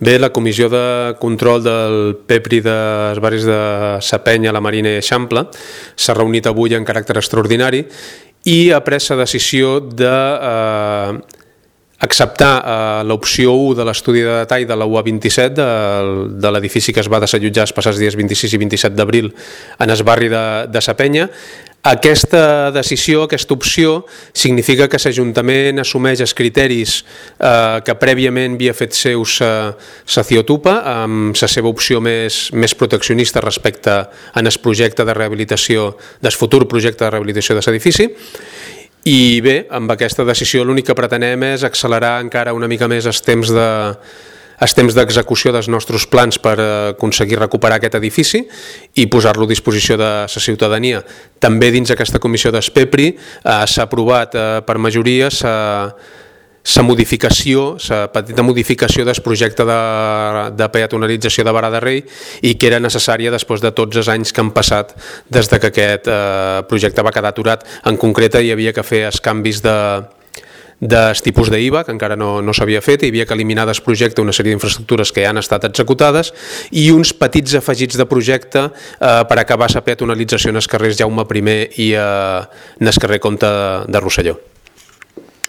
Bé, la Comissió de Control del PEPRI dels barris de Sa Penya, la Marina i Eixample s'ha reunit avui en caràcter extraordinari i ha pres la decisió d'acceptar l'opció 1 de l'estudi de detall de la UA27 de l'edifici que es va desallotjar els passats dies 26 i 27 d'abril en el barri de Sa Penya. Aquesta decisió, aquesta opció, significa que l'Ajuntament assumeix els criteris que prèviament havia fet seus la Ciotupa, amb la seva opció més proteccionista respecte al projecte de rehabilitació, del futur projecte de rehabilitació de l'edifici. I bé, amb aquesta decisió l'únic que pretenem és accelerar encara una mica més els temps d'execució dels nostres plans per aconseguir recuperar aquest edifici i posar-lo a disposició de la ciutadania. També dins d'aquesta comissió d'ESPEPRI s'ha aprovat per majoria la petita modificació del projecte de peatonalització de Vara de Rei i que era necessària després de tots els anys que han passat des que aquest projecte va quedar aturat. En concret hi havia que fer els canvis dels tipus d'IVA, que encara no s'havia fet, hi havia que eliminar del projecte una sèrie d'infraestructures que ja han estat executades i uns petits afegits de projecte per acabar la peatonalització en els carrers Jaume I i en el carrer Comte de Rosselló.